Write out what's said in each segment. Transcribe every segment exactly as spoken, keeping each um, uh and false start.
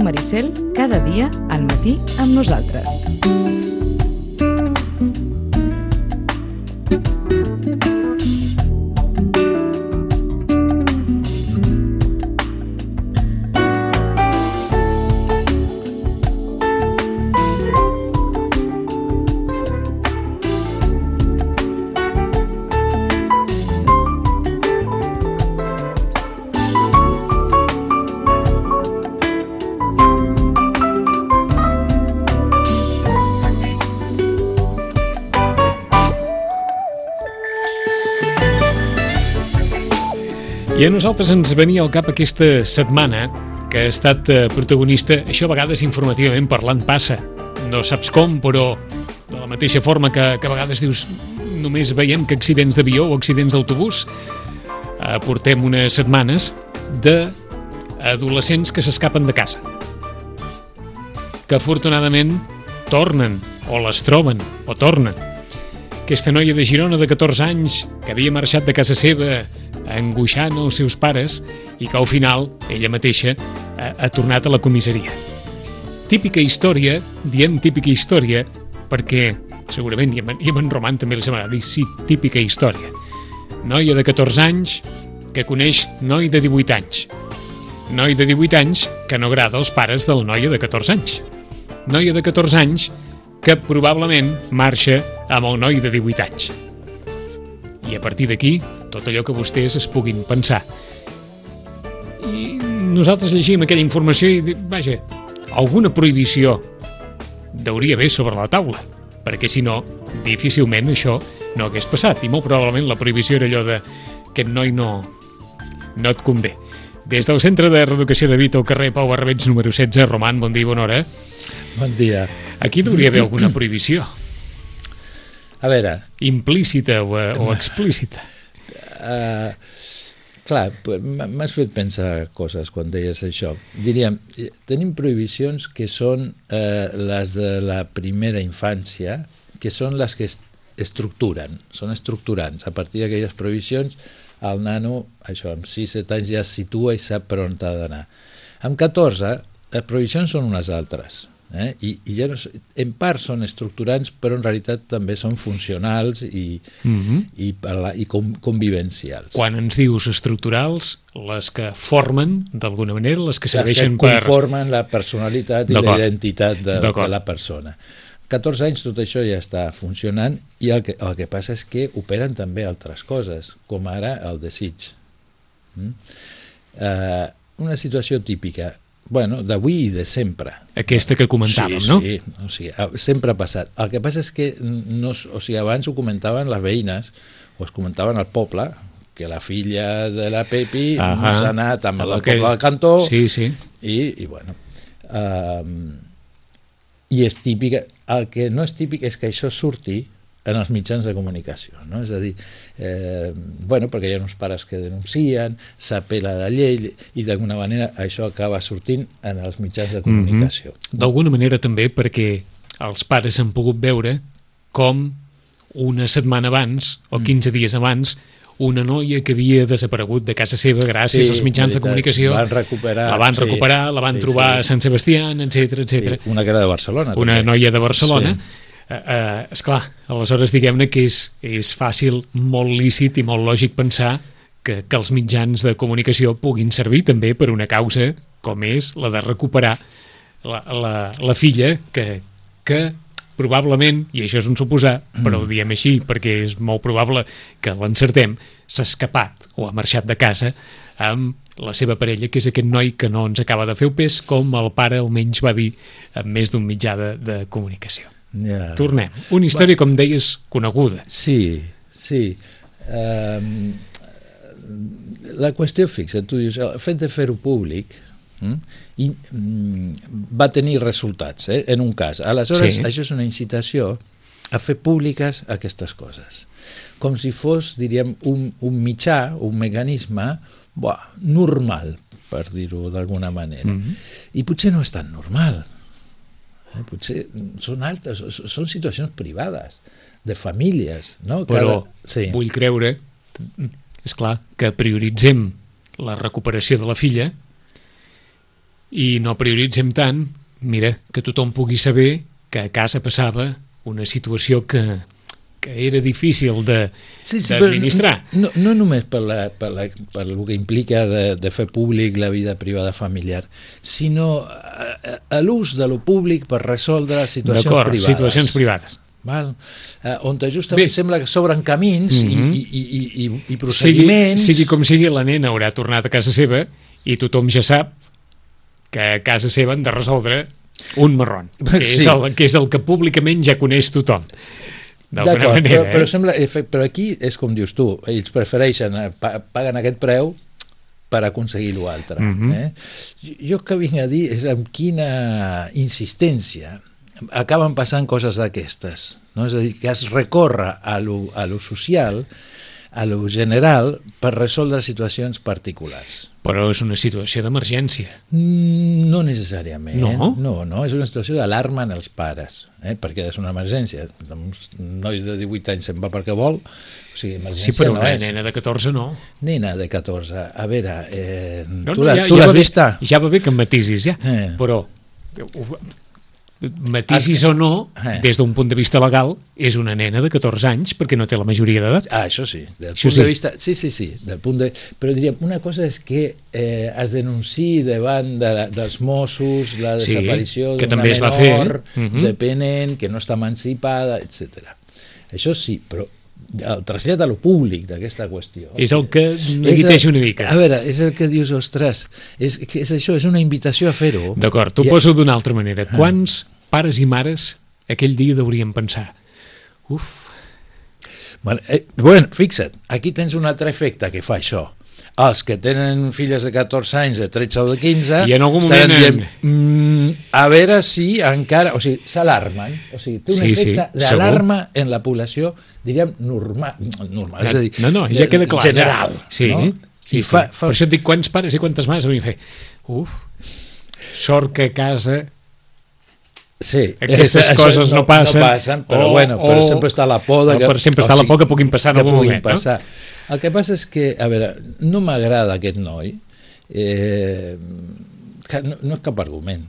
Maricel, cada dia al matí amb nosaltres. I a nosaltres ens venia al cap aquesta setmana que ha estat protagonista, això a vegades informativament parlant passa, no saps com, però de la mateixa forma que, que a vegades dius només veiem que accidents d'avió o accidents d'autobús, eh, portem unes setmanes d'adolescents que s'escapen de casa, que afortunadament tornen o les troben o tornen. Aquesta noia de Girona de catorze anys que havia marxat de casa seva angoixant els seus pares i que al final ella mateixa ha, ha tornat a la comissaria. Típica història, diem típica història perquè segurament, i en, i en Roman també li semblarà dir, sí, típica història. Noia de catorze anys que coneix noi de divuit anys. Noi de divuit anys que no agrada als pares de la noia de catorze anys. Noia de catorze anys que probablement marxa amb el noi de divuit anys. I a partir d'aquí, tot allò que vostès es puguin pensar. I nosaltres llegim aquella informació i dic, vaja, alguna prohibició deuria haver sobre la taula, perquè si no, difícilment això no hagués passat, i molt probablement la prohibició era allò de aquest noi no, no et convé. Des del Centre de Reeducació de Vita al carrer Pau Barrabets número setze, Roman, bon dia i bona hora. Bon dia. Aquí deuria haver alguna prohibició. A veure... Implícita o, o explícita. Uh, clar, m'has fet pensar coses quan deies això. Diríem, tenim prohibicions que són uh, les de la primera infància, que són les que estructuren, són estructurants. A partir d'aquelles prohibicions, el nano, això, amb sis set anys ja es situa i sap per on ha d'anar. Amb catorze, les prohibicions són unes altres. Eh? I, i ja no, en part són estructurants, però en realitat també són funcionals i, mm-hmm. i, parla, i com, convivencials. Quan ens dius estructurals, les que formen d'alguna manera, les que serveixen per... Les que per... conformen la personalitat i la identitat de, de la persona. catorze anys tot això ja està funcionant i el que, el que passa és que operen també altres coses, com ara el desig. Mm? Uh, una situació típica, bueno, d'avui i de sempre. Aquesta que comentàvem, sí, no? Sí, o sigui, sempre ha passat. El que passa és que no, o sigui, abans ho comentaven les veïnes, o es comentaven al poble, que la filla de la Pepi s'ha anat amb el poble del cantó, sí, sí. i, i bueno... Um, i és típica, el que no és típic és que això surti en els mitjans de comunicació, no? És a dir, eh, bueno, perquè hi ha uns pares que denuncien, s'apel·la a la llei i d'alguna manera això acaba sortint en els mitjans de comunicació. Mm-hmm. D'alguna manera també perquè els pares han pogut veure com una setmana abans o quinze dies abans una noia que havia desaparegut de casa seva gràcies sí, als mitjans veritat, de comunicació van recuperar, la van recuperar, sí, la van sí, trobar sí. a Sant Sebastià, etcètera, etcètera. Sí, una que era de Barcelona. Una també. noia de Barcelona. Sí. Uh, uh, esclar, aleshores diguem-ne que és, és fàcil, molt lícit i molt lògic pensar que, que els mitjans de comunicació puguin servir també per una causa com és la de recuperar la, la, la filla que, que probablement, i això és un suposar, però ho diem així perquè és molt probable que l'encertem, s'ha escapat o ha marxat de casa amb la seva parella, que és aquest noi que no ens acaba de fer el pes, com el pare almenys va dir en més d'un mitjà de, de comunicació. Ja. Tornem. Una història, com deies, coneguda. Sí, sí. Um, la qüestió fixa, tu dius, el fet de fer-ho públic Mm? i mm, va tenir resultats, eh? En un cas. Aleshores, sí. Això és una incitació a fer públiques aquestes coses. Com si fos, diríem, un, un mitjà, un mecanisme buah, normal, per dir-ho d'alguna manera. Mm-hmm. I potser no és tan normal. Eh? Potser són altres, són situacions privades, de famílies. No? Però Cada... sí. vull creure, és, és clar, que prioritzem la recuperació de la filla i no prioritzem tant, mira, que tothom pugui saber que a casa passava una situació que, que era difícil de, sí, sí, d'administrar. No, no només per, la, per, la, per el que implica de, de fer públic la vida privada familiar, sinó a, a l'ús de lo públic per resoldre situacions D'acord, privades. situacions privades. Val? Uh, on justament Bé. sembla que s'obren camins mm-hmm. i, i, i, i, i procediments... Sigui, sigui com sigui, la nena haurà tornat a casa seva i tothom ja sap que a casa seva han de resoldre un marrón, que, sí. és, el, que és el que públicament ja coneix tothom. D'alguna manera, però, eh? però, sembla, però aquí és com dius tu, ells prefereixen, paguen aquest preu per aconseguir l'altre. Mm-hmm. eh? Jo que vinc a dir és amb quina insistència acaben passant coses d'aquestes, no? És a dir, que es recorre a lo, a lo social, a lo general, per resoldre situacions particulars. Però és una situació d'emergència. No necessàriament. No? No, no, és una situació d'alarma en els pares, eh? perquè és una emergència. Un noi de divuit anys se'n va perquè vol, o sigui, emergència sí, però no una és. nena de catorze no. Nena de catorze, a veure, eh, no, tu no, l'has ja, ja vista? Ja va bé que em matisis, ja, eh. però... matisis o no, eh. des d'un punt de vista legal, és una nena de catorze anys perquè no té la majoria d'edat. Ah, això sí. Del això punt sí. de vista, sí, sí, sí. Del punt de, però diríem, una cosa és que eh, es denunciï davant de, dels Mossos la sí, desaparició que d'una també es va menor fer, eh? uh-huh. dependent, que no està emancipada, etcètera. Això sí, però el trasllat a lo públic d'aquesta qüestió és el que neguiteja una mica. A veure, és el que dius, ostres, és, és això, és una invitació a fer-ho. D'acord, t'ho I... poso d'una altra manera. Quants pares i mares aquell dia deurien pensar? Uf. Bueno, eh, bueno, fixa't, aquí tens un altre efecte que fa això. Els que tenen filles de catorze anys, de tretze o de quinze, i en algun moment dient, mm, a veure si encara... O sigui, s'alarmen. O sigui, té un sí, efecte sí, d'alarma en la població, diríem, normal. normal és a dir, no, no, ja queda clar. General. Ja. Sí, no? sí, sí. Fa, fa... Per això et dic quants pares i quantes mares haurien fet. Uf, sort que a casa... Sí, aquestes això, coses no, no passen, no passen però o, bueno, però o, sempre està la por de que, però sempre està o sigui, la por que puguin passar en algun moment, passar. no? El que passa és que, a veure, no m'agrada aquest noi, eh, no, no és cap argument,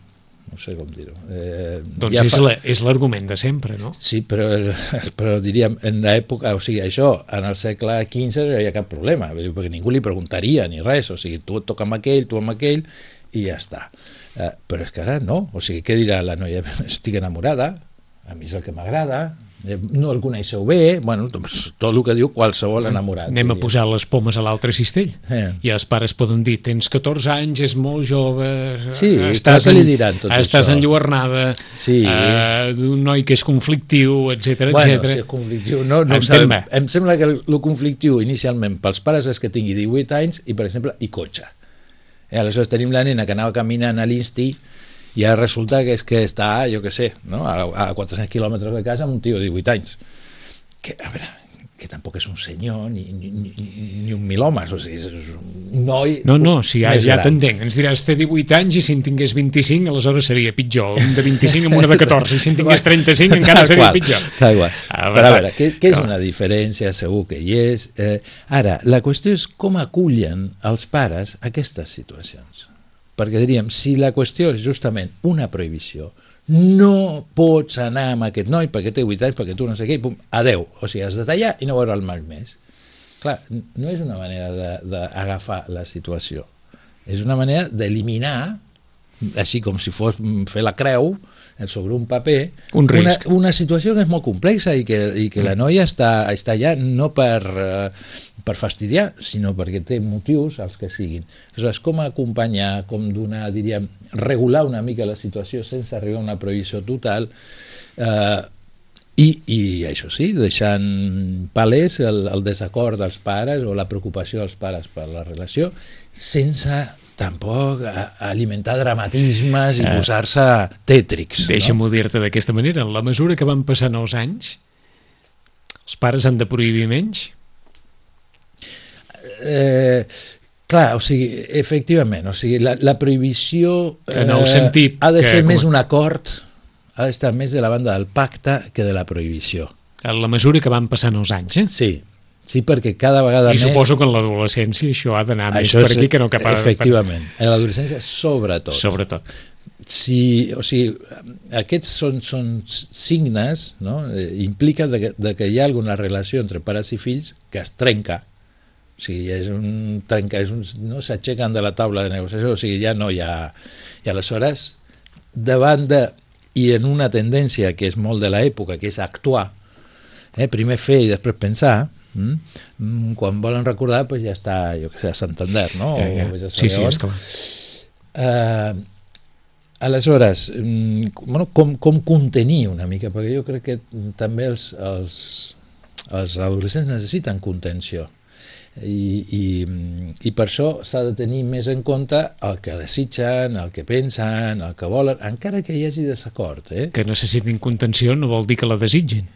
no sé com dir-ho. Eh, doncs ja és, fa... la, és l'argument de sempre, no? Sí, però, però diríem, en l'època, o sigui, això, en el segle quinze no hi ha cap problema, perquè ningú li preguntaria ni res, o sigui, tu et toca amb aquell, tu amb aquell, i ja està. Uh, però és que ara no, o sigui, què dirà la noia? Estic enamorada, a mi és el que m'agrada, no el coneixeu bé, bueno, tot el que diu qualsevol enamorat. Anem a posar les pomes a l'altre cistell, eh. i els pares poden dir, tens catorze anys, és molt jove, sí, estàs, en, li diran tot estàs això. enlluernada, sí. uh, d'un noi que és conflictiu, etcètera, bueno, etcètera. Si és conflictiu, no, no sabem. Em sembla que el conflictiu inicialment pels pares és que tingui divuit anys i, per exemple, i cotxe. I aleshores tenim la nena que anava caminant a l'Insti i ara resulta que és que està, jo què sé, no? a, a quatre-cents quilòmetres de casa amb un tio de divuit anys. Que, a veure, que tampoc és un senyor ni, ni, ni, ni un mil homes, o sigui, és un noi... No, no, si ja, ja gran. t'entenc. Ens diràs, té divuit anys i si en tingués vint-i-cinc, aleshores seria pitjor. Un de vint-i-cinc amb una de catorze, i si en tingués trenta-cinc encara seria pitjor. Tal qual. Ah, però a veure, què, què és una diferència? Segur que hi és. Eh, ara, la qüestió és com acullen els pares aquestes situacions. Perquè diríem, si la qüestió és justament una prohibició, no pots anar amb aquest noi perquè té vuit anys, perquè tu no sé què, i pum, adeu. O sigui, has de tallar i no veure el mal més. Clar, no és una manera d'agafar la situació. És una manera d'eliminar, així com si fos fer la creu sobre un paper, un una, una situació que és molt complexa i que, i que la noia està, està allà no per, per fastidiar, sinó perquè té motius, els que siguin. Aleshores, com acompanyar, com donar, diríem, regular una mica la situació sense arribar a una prohibició total, eh, i, i això sí, deixant palès el, el desacord dels pares o la preocupació dels pares per la relació, sense tampoc alimentar dramatismes i eh, posar-se tètrics. Deixa'm-ho no? dir-te d'aquesta manera. En la mesura que van passant els anys, els pares han de prohibir menys? Eh, clar, o sigui, efectivament, o sigui, la, la prohibició eh, en el sentit ha de ser que, més com... un acord, ha d'estar més de la banda del pacte que de la prohibició. En la mesura que van passant els anys, eh? Sí, Sí, perquè cada vegada I més... I suposo que en l'adolescència això ha d'anar més això per és, aquí que no cap a... Efectivament, en l'adolescència sobretot. Sobretot. Si, o sigui, aquests són, són signes, no? Eh, implica de que, de que hi ha alguna relació entre pares i fills que es trenca. O sigui, és un trenca, és un, no s'aixequen de la taula de negociació, o sigui, ja no hi ha... I aleshores, davant de... I en una tendència que és molt de l'època, que és actuar, eh? Primer fer i després pensar, mm? Quan volen recordar, pues ja està, jo què sé, a Santander, no? Ja, ja. O sí, sí, és clar. Uh, aleshores, bueno, com, com contenir una mica, perquè jo crec que també els, els, els adolescents necessiten contenció. I, i, i per això s'ha de tenir més en compte el que desitgen, el que pensen, el que volen, encara que hi hagi desacord. Eh? Que necessitin contenció no vol dir que la desitgin.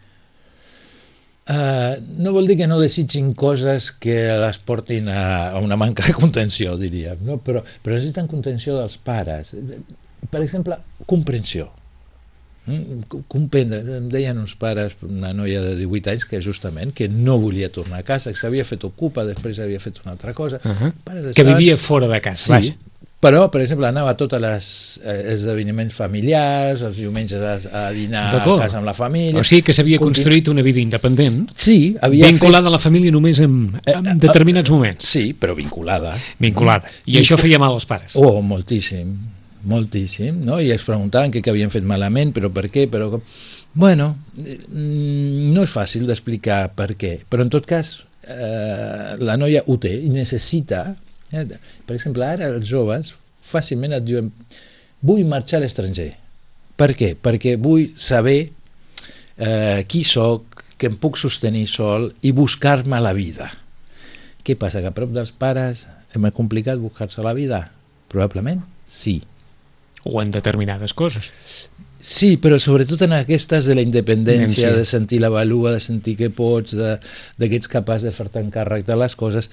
Uh, no vol dir que no desitgin coses que les portin a, a una manca de contenció, diríem, no? però, però necessiten contenció dels pares. Per exemple, comprensió. Comprendre. Em deien uns pares, una noia de divuit anys que justament que no volia tornar a casa, que s'havia fet ocupa, després havia fet una altra cosa. Uh -huh. Pares que vivia fora de casa, sí, vaja. Però, per exemple, anava a tots els eh, esdeveniments familiars, els diumenges a, a dinar a casa amb la família. O sigui que s'havia Continu... construït una vida independent, sí, havia vinculada fet... a la família només en, en eh, determinats eh, moments. Sí, però vinculada. Vinculada. I, I això feia mal als pares. Oh, moltíssim. moltíssim, no? I es preguntaven què havien fet malament, però per què, però... Bueno, no és fàcil d'explicar per què, però en tot cas eh, la noia ho té i necessita, eh, per exemple, ara els joves fàcilment et diuen vull marxar a l'estranger. Per què? Perquè vull saber eh, qui soc, que em puc sostenir sol i buscar-me la vida. Què passa? Que a prop dels pares és més complicat buscar-se la vida? Probablement sí. O en determinades coses. Sí, però sobretot en aquestes de la independència, sí. De sentir la valua, de sentir que pots, de, de que ets capaç de fer-te encàrrec de les coses,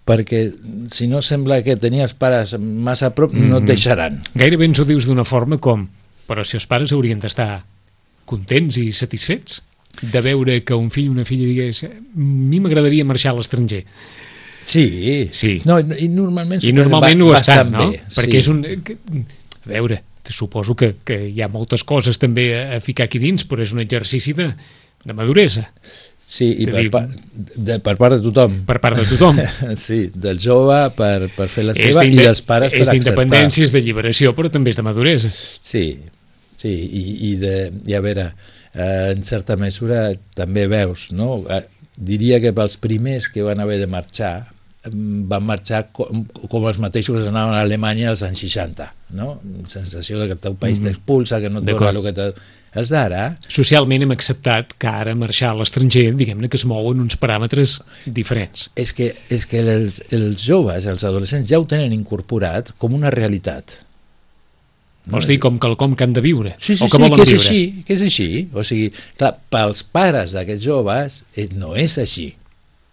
perquè si no sembla que tenir els pares massa a prop, mm. no et deixaran. Gairebé ens ho dius d'una forma com, però si els pares haurien d'estar contents i satisfets de veure que un fill o una filla digués a mi m'agradaria marxar a l'estranger. Sí, sí. No, i normalment, I normalment ho estan, no? Bé, perquè sí. és un... A veure, suposo que, que hi ha moltes coses també a, a ficar aquí dins, però és un exercici de, de maduresa. Sí, i de per, dir, pa, de, per part de tothom. Per part de tothom. Sí, del jove per, per fer la seva i dels pares per acceptar. És d'independència, és de lliberació, però també és de maduresa. Sí, sí, i, i, de, i a veure, eh, en certa mesura també veus, no? Eh, diria que pels primers que van haver de marxar van marxar com, com els mateixos anaven a Alemanya als anys seixanta, no? Sensació de que el teu país mm-hmm. t'expulsa, que no et dona el que t'ha... Els d'ara... Socialment hem acceptat que ara marxar a l'estranger, diguem-ne que es mouen uns paràmetres diferents. És que, és que els, els joves, els adolescents, ja ho tenen incorporat com una realitat. No? Vols dir com quelcom que han de viure? Sí, sí, o que sí, volen que és viure. així, que és així. O sigui, clar, pels pares d'aquests joves no és així.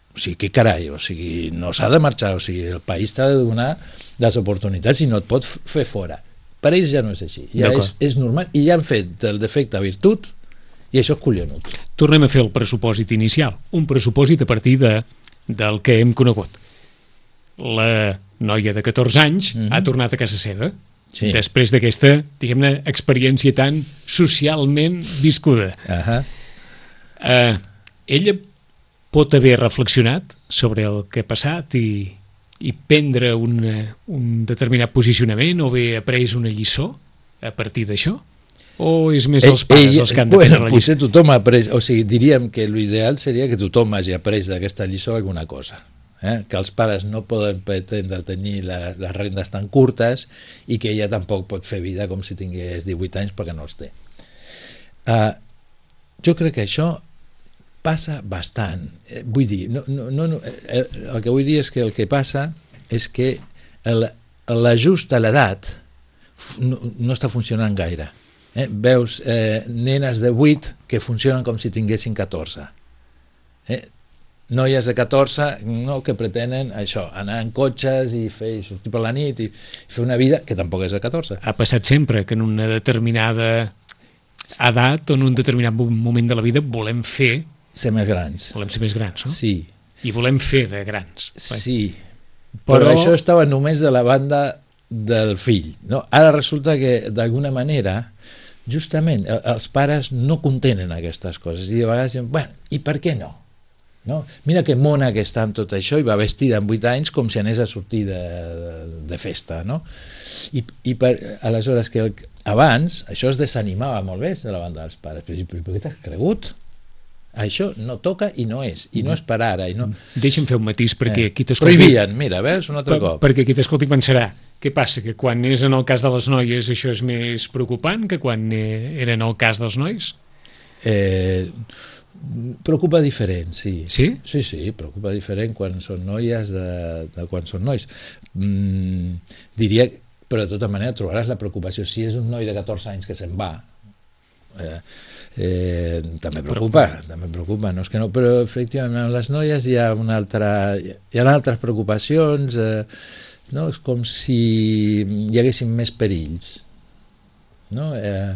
O sigui, què carai, o sigui, no s'ha de marxar, o sigui, el país t'ha de donar les oportunitats i no et pot fer fora. Per ells ja no és així, ja és, és normal, i ja han fet del defecte virtut, i això és collonut. Tornem a fer el pressupòsit inicial, un pressupòsit a partir de, del que hem conegut. La noia de catorze anys mm-hmm. ha tornat a casa seva, sí. Després d'aquesta, diguem-ne, experiència tan socialment viscuda. Uh-huh. Uh, ella pot haver reflexionat sobre el que ha passat i, i prendre un, un determinat posicionament o haver après una lliçó a partir d'això? O és més els pares ell, els que han de bueno, prendre la lliçó? Potser tothom ha après, o sigui, diríem que l'ideal seria que tothom hagi après d'aquesta lliçó alguna cosa. Eh? Que els pares no poden pretendre tenir la, les rendes tan curtes i que ella tampoc pot fer vida com si tingués divuit anys perquè no els té. Uh, jo crec que això passa bastant. Eh, vull dir, no, no, no, eh, el que vull dir és que el que passa és que l'ajust a l'edat no, no està funcionant gaire. Eh? Veus eh, nenes de vuit que funcionen com si tinguessin catorze. Eh? Noies de catorze no, que pretenen això, anar en cotxes i fer i sortir per la nit i fer una vida que tampoc és de catorze. Ha passat sempre que en una determinada edat o en un determinat moment de la vida volem fer ser més grans. Volem ser més grans, no? Sí, i volem fer de grans. Sí, però, però això estava només de la banda del fill, no? Ara resulta que d'alguna manera justament els pares no contenen aquestes coses i de vegades diuen, bueno, i per què no? No? Mira que mona que està amb tot això i va vestida amb vuit anys com si anés a sortir de, de, de festa, no? I, i per, aleshores que el, abans això es desanimava molt bé de la banda dels pares, però, però per què t'has cregut? Això no toca i no és, i no és per ara. I no... Deixa'm fer un matís perquè eh. qui t'escolti... Prohibien, mira, veus, un altre per, cop. Perquè qui t'escolti pensarà, què passa, que quan és en el cas de les noies això és més preocupant que quan era en el cas dels nois? Eh, preocupa diferent, sí. Sí? Sí, sí, preocupa diferent quan són noies de, de quan són nois. Mm, diria, però de tota manera trobaràs la preocupació. Si és un noi de catorze anys que se'n va, eh, Eh, també preocupa, també preocupa, no és que no, però efectivament amb les noies hi ha una altra, hi ha altres preocupacions, eh, no? És com si hi haguessin més perills, no? Eh,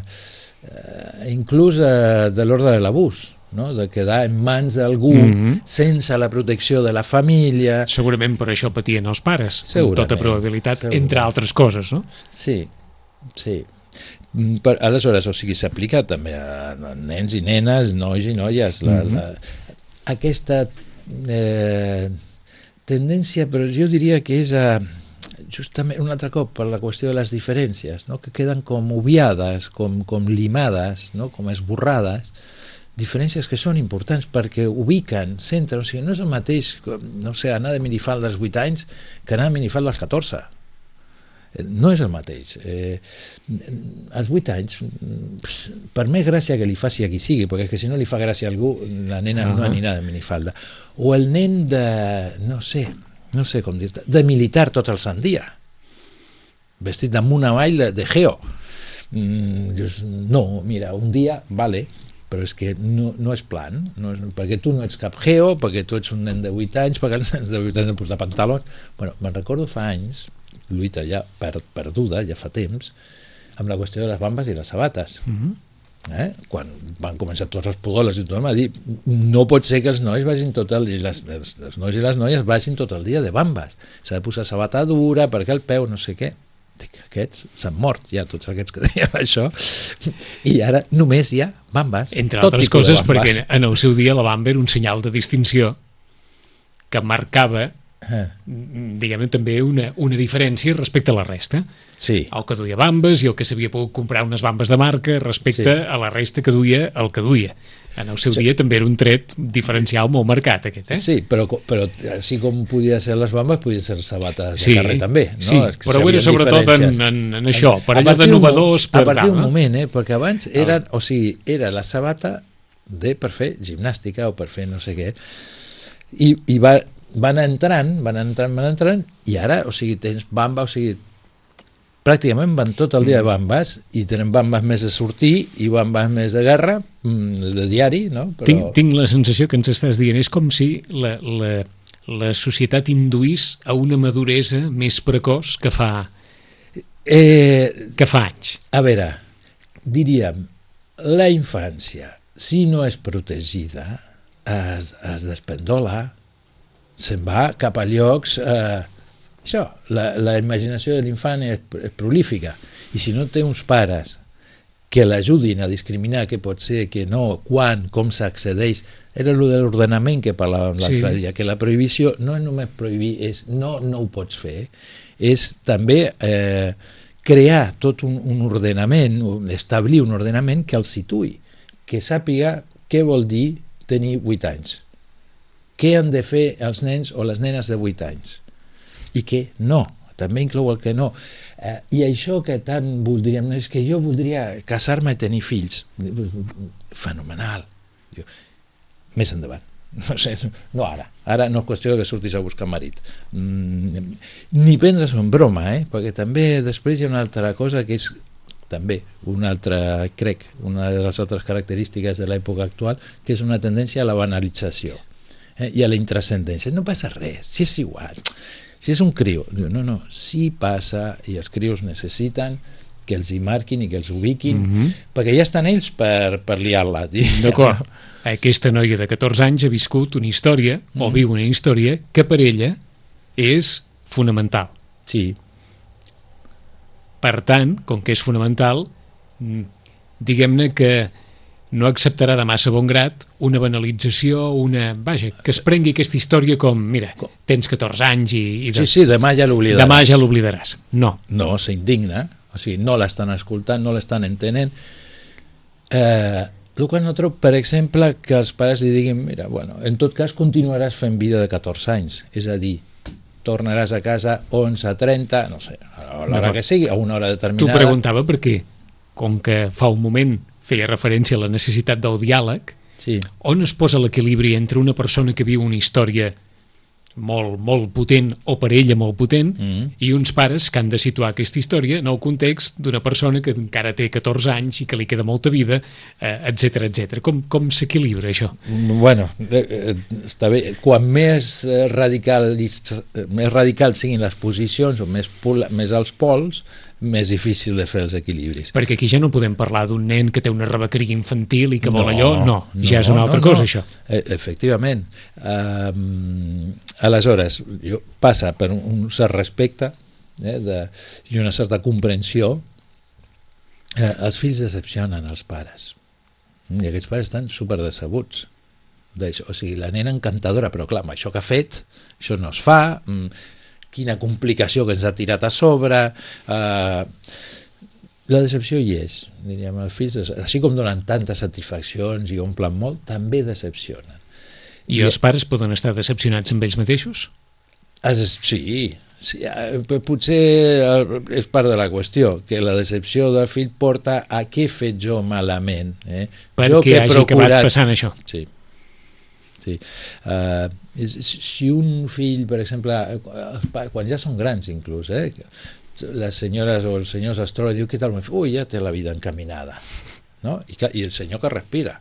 eh, inclús eh, de l'ordre de l'abús, no? De quedar en mans d'algú mm-hmm. sense la protecció de la família. Segurament per això patien els pares, amb tota probabilitat, segurament. Entre altres coses, no? Sí, sí. Per, aleshores, o sigui, s'aplica també a nens i nenes, nois i noies. La, mm-hmm. la, aquesta eh, tendència, però jo diria que és a, justament un altre cop per la qüestió de les diferències, no? Que queden com obviades, com, com limades, no? Com esborrades, diferències que són importants perquè ubiquen, centren, o sigui, no és el mateix, no sé, anar de minifalda als vuit anys que anar de minifalda als catorze. No és el mateix. Eh, als vuit anys, per més gràcia que li faci a qui sigui, perquè que si no li fa gràcia a algú, la nena uh-huh. no anirà de minifalda. O el nen de, no sé, no sé com dir-te, de militar tot el sant dia, vestit damunt avall de, de geo. Mm, just, no, mira, un dia, vale, però és que no, no és plan, no és, perquè tu no ets cap geo, perquè tu ets un nen de vuit anys, perquè els nens de vuit anys han de portar pantalons. Bueno, me'n recordo fa anys, lluita ja per, perduda, ja fa temps, amb la qüestió de les bambes i les sabates. Mm-hmm. eh? Quan van començar tots els podòlegs i tothom a dir no pot ser que els nois vagin tot el dia, les, les, les nois i les noies vagin tot el dia de bambes. S'ha de posar sabata dura perquè el peu no sé què. Dic, aquests s'han mort ja, tots aquests que deien això, i ara només hi ha bambes. Entre altres coses perquè en el seu dia la bamba era un senyal de distinció que marcava Uh. diguem-ne també una, una diferència respecte a la resta. Sí. El que duia bambes i el que s'havia pogut comprar unes bambes de marca respecte sí. a la resta que duia el que duia. En el seu sí. dia també era un tret diferencial molt marcat aquest, eh? Sí, però, però així com podia ser les bambes, podia ser sabates de sí. carrer també, no? Sí, però ho era sobretot en, en, en això, per allò de novedors per a partir d'un no? moment, eh? Perquè abans eren, o sigui, era la sabata de per fer gimnàstica o per fer no sé què, i, i va van entrant, van entrant, van entrant, i ara, o sigui, tens bamba, o sigui, pràcticament van tot el dia de bambes, i tenen bambes més de sortir i bambes més de guerra, de diari, no? Però... Tinc, tinc la sensació que ens estàs dient, és com si la, la, la societat induís a una maduresa més precoç que fa, eh, que fa anys. A veure, diríem, la infància, si no és protegida, es, es despendola, se'n va cap a llocs... Eh, això, la, la imaginació de l'infant és, és prolífica, i si no té uns pares que l'ajudin a discriminar què pot ser, què no, quan, com s'accedeix, era allò de l'ordenament que parlàvem l'altre sí. dia, que la prohibició no és només prohibir, és no, no ho pots fer, és també eh, crear tot un, un ordenament, establir un ordenament que el situï, que sàpiga què vol dir tenir vuit anys. Què han de fer els nens o les nenes de vuit anys? I què no, també inclou el que no. Eh, I això que tant voldríem, és que jo voldria casar-me i tenir fills. Fenomenal. Jo, més endavant. No sé, no ara. Ara no és qüestió que surtis a buscar marit. Mm, ni prendre's en broma, eh? Perquè també després hi ha una altra cosa que és també una altra, crec, una de les altres característiques de l'època actual, que és una tendència a la banalització. Eh, i a la intrascendència, no passa res, si és igual, si és un criu, no, no, si passa, i els crius necessiten que els hi marquin i que els ubiquin, mm-hmm. perquè ja estan ells per, per liar-la. D'acord. aquesta noia de catorze anys ha viscut una història, mm. o viu una història, que per ella és fonamental. Sí. Per tant, com que és fonamental, diguem-ne que no acceptarà de massa bon grat una banalització, una... Vaja, que es prengui aquesta història com, mira, tens catorze anys i... i de... Sí, sí, demà ja l'oblidaràs. Demà ja l'oblidaràs. No. No, s'indigna, o sigui, no l'estan escoltant, no l'estan entenent. Eh, el qual no trobo, per exemple, que els pares li diguin, mira, bueno, en tot cas continuaràs fent vida de catorze anys, és a dir, tornaràs a casa onze trenta, no sé, a l'hora no, que sigui, a una hora determinada. Tu preguntava per què, com que fa un moment feia referència a la necessitat del diàleg, sí. On es posa l'equilibri entre una persona que viu una història molt, molt potent, o per ella molt potent, mm. i uns pares que han de situar aquesta història en el context d'una persona que encara té catorze anys i que li queda molta vida, etcètera, etcètera. Com, com s'equilibra això? Bueno, eh, està bé. Quan més radical, més radicals siguin les posicions o més, pol, més els pols, més difícil de fer els equilibris. Perquè aquí ja no podem parlar d'un nen que té una rebequeria infantil i que vol no, allò, no, no, ja és una altra no, cosa, no. això. E efectivament. Um, aleshores, jo, passa per un cert respecte eh, de, i una certa comprensió. Eh, els fills decepcionen els pares. I aquests pares estan super decebuts. O sigui, la nena encantadora, però clar, amb això que ha fet, això no es fa... Mm, quina complicació que ens ha tirat a sobre, eh, la decepció hi és, diríem, els fills, així com donen tantes satisfaccions i omplen molt, també decepcionen. I, I els pares poden estar decepcionats amb ells mateixos? Es, sí, sí, potser és part de la qüestió, que la decepció del fill porta a què he fet jo malament. Eh? Perquè jo que hagi procurat... acabat passant això. Sí. Sí. Uh, si un fill, per exemple, quan ja són grans inclús, eh, les senyores o els senyors es troben i diu, què tal meu fill? Ui, ja té la vida encaminada, no? I, que, i el senyor que respira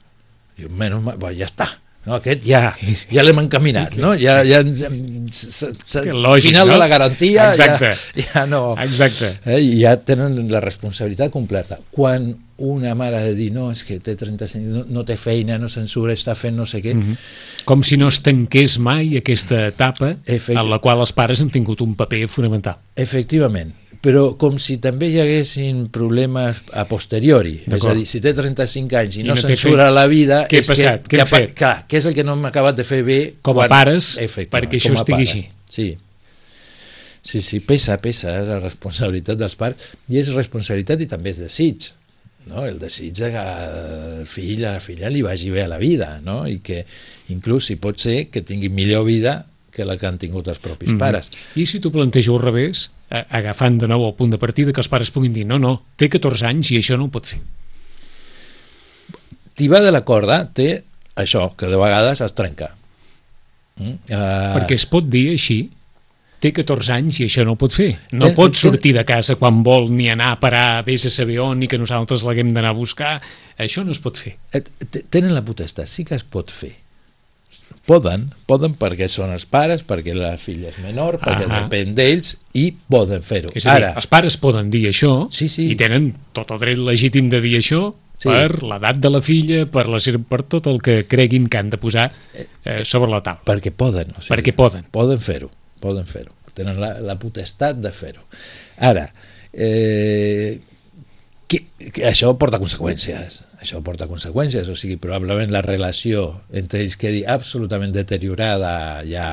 diu, menys mal, ja està, no? Aquest ja, ja l'hem encaminat, no? Ja, ja, lògic, final no? de la garantia. Exacte. Ja, ja no, exacte. Eh, ja tenen la responsabilitat completa. Quan una mare ha de dir, no, és que té trenta-cinc, no, no té feina, no censura, està fent no sé què. Mm-hmm. Com si no es tanqués mai aquesta etapa Efecti... en la qual els pares han tingut un paper fonamental. Efectivament, però com si també hi haguessin problemes a posteriori. És a dir, si té trenta-cinc anys i, I no, no censura fe... la vida... Què ha passat? Que, Què hem fet? Clar, què és el que no hem acabat de fer bé... Com a quan... pares, perquè això estigui pares. així. Sí. Sí, sí, pesa, pesa eh, la responsabilitat dels pares, i és responsabilitat i també és desig. No? El desig que el fill a la filla li vagi bé a la vida, no? I que inclús si pot ser que tingui millor vida que la que han tingut els propis mm-hmm. pares. I si tu plantejo al revés, agafant de nou el punt de partida, que els pares puguin dir no, no, té catorze anys i això no ho pot fer. Tibar de la corda té això, que de vegades es trenca. Mm? Uh... Perquè es pot dir així, té catorze anys i això no ho pot fer. No ten, pot sortir ten... de casa quan vol ni anar a parar, vés a saber on, ni que nosaltres l'haguem d'anar a buscar. Això no es pot fer. Tenen la potestat, sí que es pot fer. Poden, poden perquè són els pares, perquè la filla és menor, perquè ah depèn d'ells, i poden fer-ho. És a dir, Ara, els pares poden dir això, sí, sí. i tenen tot el dret legítim de dir això, sí. per l'edat de la filla, per, la, per tot el que creguin que han de posar eh, sobre la taula. Perquè poden. O sigui, perquè poden. Poden fer-ho. Poden fer-ho, tenen la, la potestat de fer-ho. Ara, eh, que, que això porta conseqüències, això porta conseqüències, o sigui, probablement la relació entre ells quedi absolutament deteriorada ja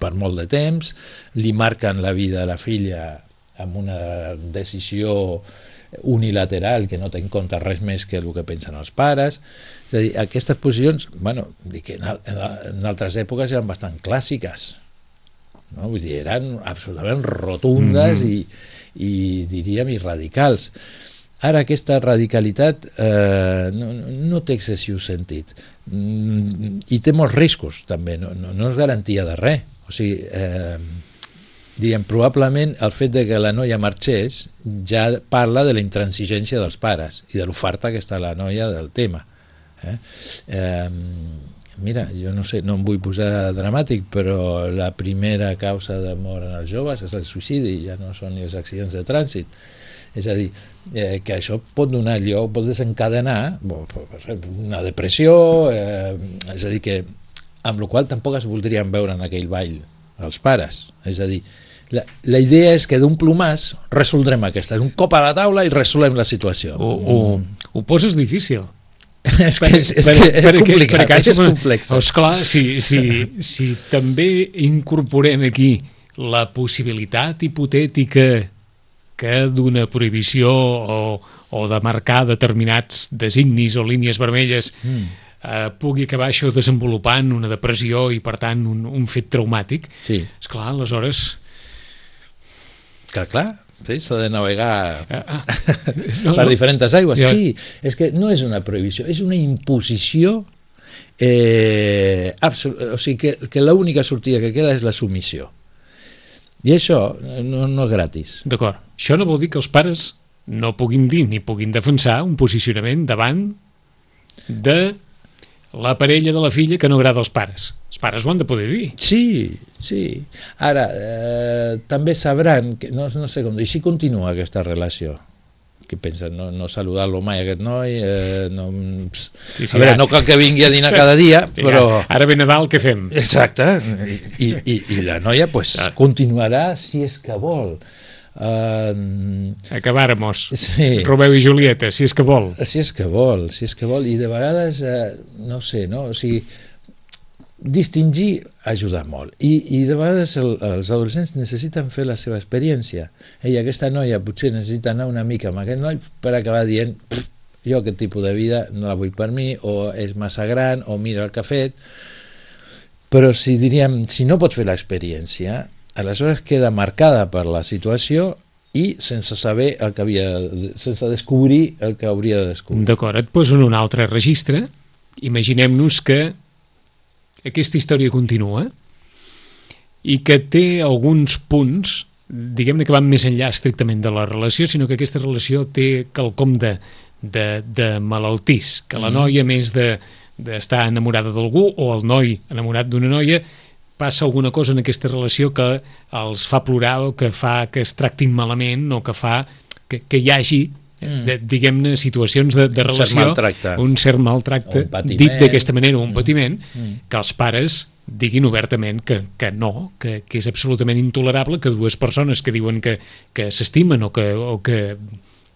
per molt de temps, li marquen la vida a la filla amb una decisió unilateral que no té en compte res més que el que pensen els pares. És a dir, aquestes posicions, bueno, dic que en, en, en altres èpoques eren bastant clàssiques, no? Vull dir, eren absolutament rotundes mm-hmm. i, i diríem i radicals. Ara aquesta radicalitat eh, no, no té excessiu sentit mm, i té molts riscos també, no, no, no és garantia de res. O sigui, eh, diguem, probablement el fet de que la noia marxés ja parla de la intransigència dels pares i de l'oferta que està la noia del tema. Eh? Eh, Mira, jo no sé, no em vull posar dramàtic, però la primera causa de mort en els joves és el suïcidi, ja no són ni els accidents de trànsit. És a dir, eh, que això pot donar lloc, pot desencadenar una depressió, eh, és a dir, que amb la qual tampoc es voldrien veure en aquell ball els pares. És a dir, la, la idea és que d'un plomàs resoldrem aquesta, un cop a la taula i resolem la situació. Ho, ho, ho poses difícil. és que és, és, que és complicat, per, és complex. Esclar, si, si, si també incorporem aquí la possibilitat hipotètica que d'una prohibició o, o de marcar determinats designis o línies vermelles mm. eh, pugui acabar això desenvolupant una depressió i, per tant, un, un fet traumàtic, sí. Esclar, aleshores... Que clar, sí, s'ha de navegar ah, ah. No, per no. diferents aigües. Ja. Sí, és que no és una prohibició, és una imposició, eh, o sigui que, que l'única sortida que queda és la submissió. I això no, no és gratis. D'acord. Això no vol dir que els pares no puguin dir ni puguin defensar un posicionament davant de la parella de la filla que no agrada als pares. Els pares ho han de poder dir. Sí, sí. Ara, eh, també sabran, que, no, no sé com dir, si continua aquesta relació. Què pensen? No, no saludar-lo mai, aquest noi? Eh, no, sí, sí, a veure, ja. No cal que vingui a dinar cada dia, sí, però... Ja. Ara ve Nadal, què fem? Exacte. I, i, i la noia pues, ja. continuarà si és que vol. Uh, Acabáramos. Sí. Romeu i Julieta, si és que vol. Si és que vol, si és que vol. I de vegades, eh, no sé, no? O sigui, distingir ajuda molt. I, i de vegades el, els adolescents necessiten fer la seva experiència. Ella, aquesta noia, potser necessita anar una mica amb aquest noi per acabar dient jo aquest tipus de vida no la vull per mi, o és massa gran, o mira el que ha fet. Però si diríem, si no pot fer l'experiència, aleshores queda marcada per la situació i sense saber el que havia, sense descobrir el que hauria de descobrir. D'acord, et poso en un altre registre. Imaginem-nos que aquesta història continua i que té alguns punts, diguem-ne que van més enllà estrictament de la relació, sinó que aquesta relació té quelcom de, de, de malaltís, que la noia, més de d'estar enamorada d'algú, o el noi enamorat d'una noia, passa alguna cosa en aquesta relació que els fa plorar o que fa que es tractin malament o que fa que, que hi hagi de, diguem-ne, situacions de, de un relació, cert maltracte. un cert maltracte, un dit d'aquesta manera, un mm. patiment, mm. que els pares diguin obertament que, que no, que, que és absolutament intolerable que dues persones que diuen que, que s'estimen o que, o que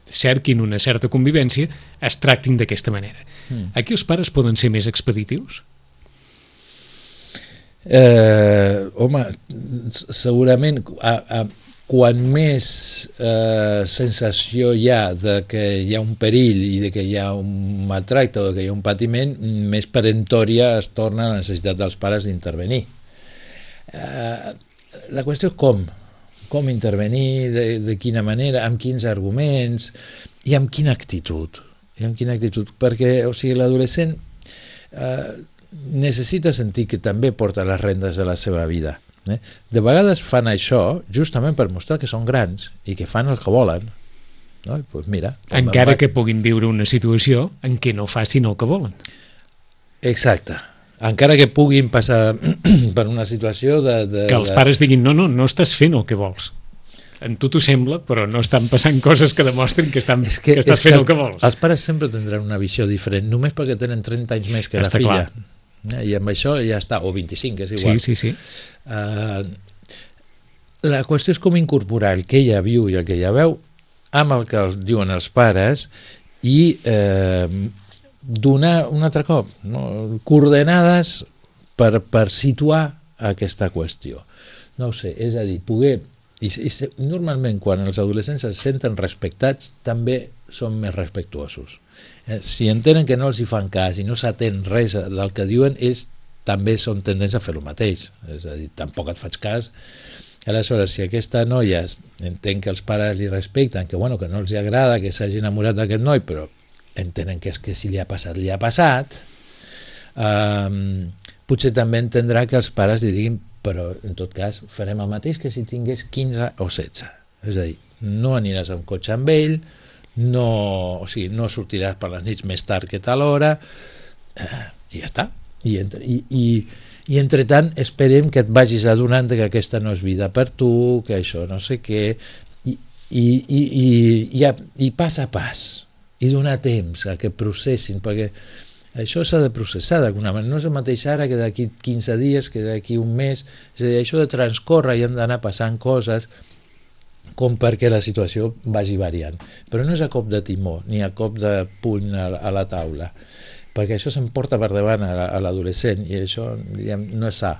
cerquin una certa convivència es tractin d'aquesta manera. Mm. Aquí els pares poden ser més expeditius? Eh, home, segurament a, a, quan més eh, sensació hi ha de que hi ha un perill i de que hi ha un maltracte o de que hi ha un patiment, més peremptòria es torna la necessitat dels pares d'intervenir. Eh, la qüestió és com com intervenir, de, de quina manera, amb quins arguments i amb quina actitud. I amb quina actitud, perquè o sigui, l'adolescent eh, necessita sentir que també porta les rendes de la seva vida. Eh? De vegades fan això justament per mostrar que són grans i que fan el que volen. No? Pues mira, encara vaig... que puguin viure una situació en què no facin el que volen. Exacte. Encara que puguin passar per una situació de... de que els de... pares diguin, no, no, no estàs fent el que vols. En tu t'ho sembla, però no estan passant coses que demostrin que, estan, que, que estàs fent que el que vols. Els pares sempre tindran una visió diferent, només perquè tenen trenta anys més que està la filla. Clar. I amb això ja està, o vint-i-cinc, és igual. Sí, sí, sí. Uh, la qüestió és com incorporar el que ella viu i el que ella veu amb el que els diuen els pares i eh, donar un altre cop, no? coordenades per, per situar aquesta qüestió. No ho sé, és a dir, poder... I, i normalment quan els adolescents es senten respectats també són més respectuosos. Eh, si entenen que no els hi fan cas i no s'atén res del que diuen, ells també són tendents a fer el mateix. És a dir, tampoc et faig cas. Aleshores, si aquesta noia entén que els pares li respecten, que, bueno, que no els hi agrada que s'hagi enamorat d'aquest noi, però entenen que és que si li ha passat, li ha passat, eh, potser també entendrà que els pares li diguin però en tot cas farem el mateix que si tingués quinze o setze. És a dir, no aniràs amb cotxe amb ell, no, o sigui, no sortiràs per les nits més tard que tal hora, eh, i ja està. I, entre, i, i, i entre tant esperem que et vagis adonant que aquesta no és vida per tu, que això no sé què, i, i, i, i, i, a, i pas a pas, i donar temps a que processin, perquè això s'ha de processar d'alguna manera, no és el mateix ara que d'aquí quinze dies, que d'aquí un mes, és a dir, això de transcorre i han d'anar passant coses com perquè la situació vagi variant, però no és a cop de timó, ni a cop de puny a, a la taula, perquè això s'emporta per davant a, a l'adolescent, i això, diguem, no és sa,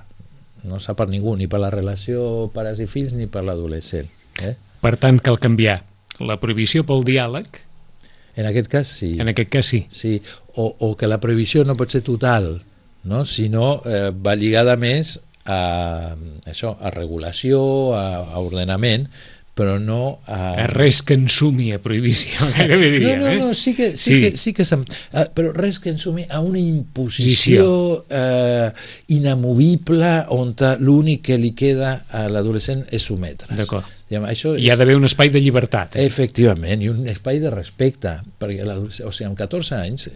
no és sa per ningú, ni per la relació pares i fills, ni per l'adolescent. Eh? Per tant, cal canviar la prohibició pel diàleg. En aquest cas, sí. En aquest cas, sí. Sí, o, o que la prohibició no pot ser total, no? Sinó eh, va lligada més a, això, a regulació, a, a ordenament, però no a... a res que ensumi a prohibició, gairebé diríem, no, no, eh? No, sí que sí, sí. que, sí que sem... uh, però res que ensumi a una imposició uh, inamovible on l'únic que li queda a l'adolescent és sometre's. D'acord. Això Hi ha d'haver un espai de llibertat. Eh? Efectivament, i un espai de respecte, perquè o sigui, amb catorze anys,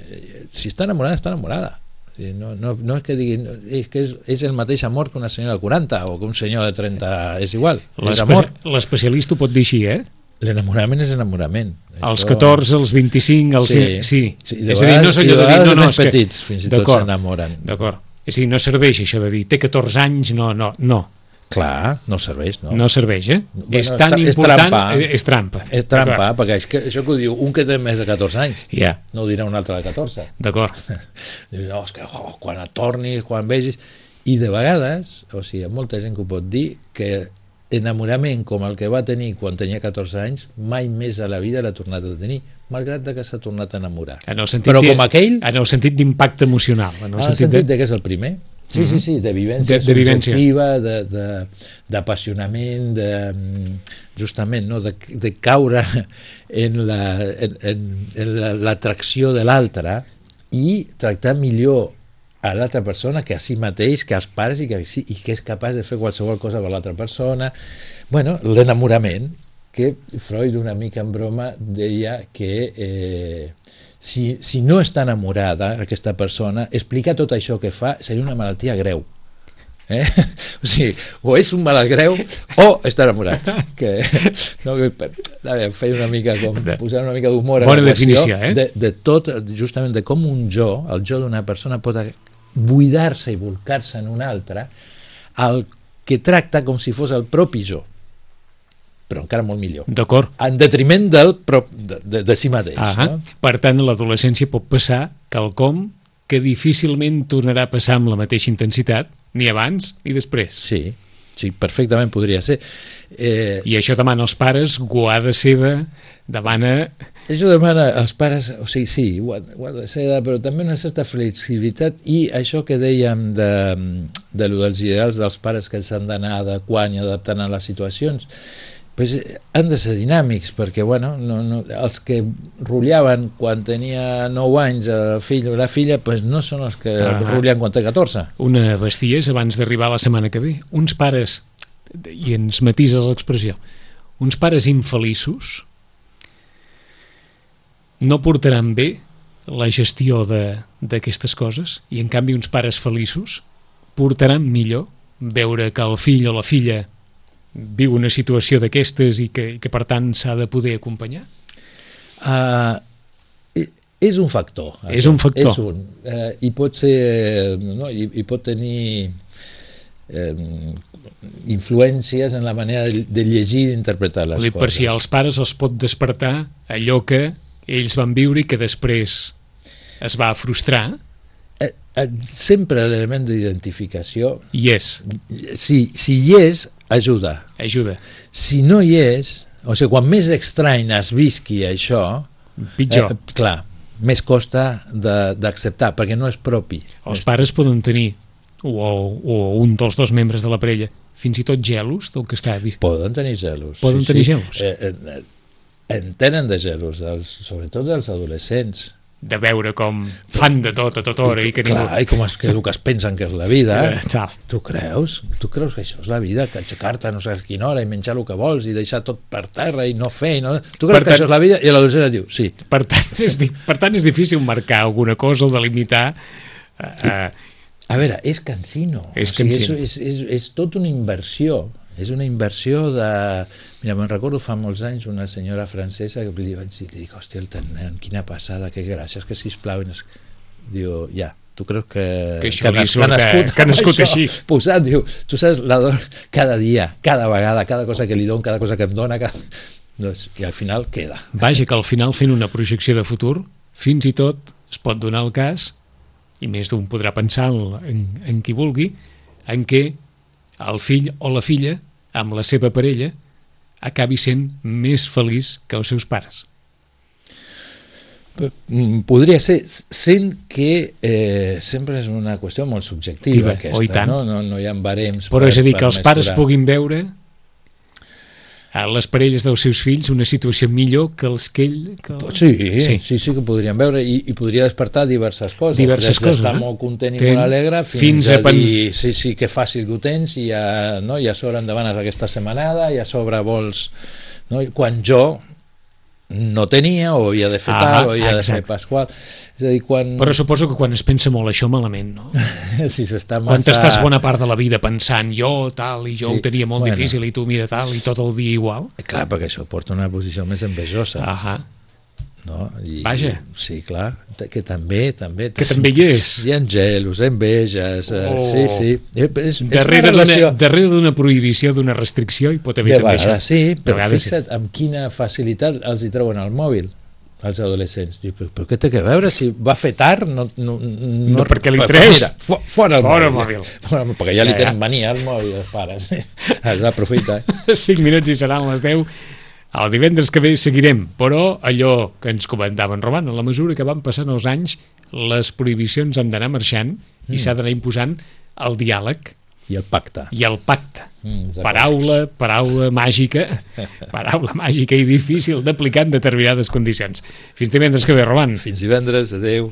si està enamorada, està enamorada. No, no, no és que diguin, és que és, és el mateix amor que una senyora de quaranta o que un senyor de trenta, és igual, és amor. L'especialista ho pot dir així, eh? L'enamorament és enamorament. Als Això... catorze, als vint-i-cinc, als... Sí, sí. sí. És a dir, no és allò de dir... No, no, és que... petits, fins i tot s'enamoren. D'acord. És a dir, no serveix això de dir, té catorze anys, no, no, no. Clar, no serveix, no? No serveix, eh? Bueno, és tan és important... trampa. És trampa. És trampa, perquè és que, això que ho diu un que té més de catorze anys, yeah. no ho dirà un altre de catorze. D'acord. Dius, no, és que oh, quan et tornis, quan vegis... I de vegades, o sigui, molta gent que ho pot dir, que enamorament com el que va tenir quan tenia catorze anys, mai més a la vida l'ha tornat a tenir, malgrat que s'ha tornat a enamorar. En el sentit Però com aquell... En el sentit d'impacte emocional. En el, en el sentit, sentit de... de que és el primer. Sí, sí, sí, de vivència de, de subjectiva, d'apassionament, de, de, justament, no, de, de caure en l'atracció la, en, en de l'altre i tractar millor a l'altra persona que a si mateix, que als pares, i que, i que és capaç de fer qualsevol cosa per l'altra persona. Bueno, l'enamorament, que Freud una mica en broma deia que... Eh, Si, si no està enamorada aquesta persona, explicar tot això que fa seria una malaltia greu. Eh? O sigui, o és un malalt greu o està enamorat. Que, no, que, a veure, feia una mica com posar una mica d'humor a bona la definició, eh? de, de tot, justament de com un jo, el jo d'una persona pot buidar-se i volcar-se en un altre, el que tracta com si fos el propi jo, però encara molt millor. D'acord. En detriment del, de, de, de si mateix. Ah, no? Per tant, a l'adolescència pot passar quelcom que difícilment tornarà a passar amb la mateixa intensitat, ni abans ni després. Sí, sí, perfectament podria ser. Eh... I això demana als pares, ho ha de ser de... demana... Això demana als pares, o sigui, sí, ho ha, ho ha de ser, però també una certa flexibilitat, i això que dèiem de, de lo dels ideals dels pares que s'han d'anar adequant i adaptant a les situacions, pues han de ser dinàmics, perquè bueno, no, no, els que rotllaven quan tenia nou anys el fill o la filla, pues no són els que ah, rotllen quan té catorze. Una bestiesa abans d'arribar la setmana que ve. Uns pares, i ens matises l'expressió, uns pares infeliços no portaran bé la gestió d'aquestes coses, i en canvi uns pares feliços portaran millor veure que el fill o la filla viu una situació d'aquestes i que, que per tant s'ha de poder acompanyar? Uh, és un factor. És un factor. És un. Uh, I pot ser... No, i, i pot tenir eh, influències en la manera de, de llegir i d'interpretar les coses. Per si als pares els pot despertar allò que ells van viure i que després es va frustrar. Eh, eh, sempre l'element d'identificació hi és. Si, si hi és, ajuda. Ajuda. Si no hi és, o sigui, quan més estrany es visqui això, pitjor. Eh, clar, més costa d'acceptar, perquè no és propi. Els pares poden tenir, o, o un dels dos membres de la parella, fins i tot gelos del que està vist. Poden tenir gelos. Poden sí, tenir sí. gelos. Eh, eh, en tenen de gelos, dels, sobretot dels adolescents. De veure com fan de tot a tota hora. I, que clar, ningú... i com és que el que es pensen que és la vida. Eh, tu creus? Tu creus que això és la vida? Que aixecar-te a no sé a quina hora i menjar el que vols i deixar tot per terra i no fer... I no... Tu creus per que tant... això és la vida? I l'adolescent et diu, sí. Per tant, és, di... per tant, és difícil marcar alguna cosa o delimitar... Eh, a veure, és cansino. És o sigui, cansino. És, és, és, és tot una inversió. És una inversió de... Mira, me'n recordo fa molts anys una senyora francesa que li vaig dir, li dic, hòstia, el tenen, quina passada, que gràcies, que sisplau... Diu, ja, tu creus que... Que això que, li surt, que, nascut, que ha nascut això, així. Posat, diu, tu saps, l'ador cada dia, cada vegada, cada cosa que li dono, cada cosa que em dona, cada... Doncs, i al final queda. Vaja, que al final fent una projecció de futur, fins i tot es pot donar el cas, i més d'un podrà pensar en, en qui vulgui, en què el fill o la filla, amb la seva parella, acabi sent més feliç que els seus pares. Podria ser, sent que eh, sempre és una qüestió molt subjectiva, aquesta, oh, i tant. No? No, no hi ha barems. Però per, és a dir, que els pares mesurar. puguin veure a les parelles dels seus fills una situació millor que els que ell... Que... Sí, sí, sí, sí que podríem veure i, i podria despertar diverses coses. Diverses Des coses, d'estar eh? molt content i Ten, molt alegre fins, fins a, a pen... dir, sí, sí, que fàcil que ho tens i a, no, i a sobre em demanes aquesta setmanada i a sobre vols... No? I quan jo no tenia o havia de fer ah, tal o havia exacte. de fer pasqual. És a dir, quan... Però suposo que quan es pensa molt això malament, no? si s'està massa... Quan t'estàs bona part de la vida pensant jo tal i jo sí. ho tenia molt bueno. difícil i tu mira tal i tot el dia igual. Clar, perquè això porta una posició més envejosa. Ahà. No? I, Vaja. Sí, clar, que també... també que també hi és. Hi ha gelos, enveges, oh. sí, sí. És, darrere d'una darrere d'una prohibició, d'una restricció, hi pot haver de també vegades, això. Sí, però fixa't amb quina facilitat els hi treuen el mòbil als adolescents. Diu, però, però què té que veure? Si va fer tard, no... No, no, no perquè li tres. Mira, for, fora el fora mòbil. mòbil. Perquè ja li ja, tenen ja. mania al mòbil, els pares. Es va aprofitar. Cinc minuts i seran les deu. El divendres que ve seguirem, però allò que ens comentava en Roman, a la mesura que van passant els anys, les prohibicions han d'anar marxant mm. i s'ha d'anar imposant el diàleg i el pacte. I el pacte. Mm, paraula, paraula màgica, paraula màgica i difícil d'aplicar en determinades condicions. Fins divendres que ve, Roman. Fins divendres, adeu.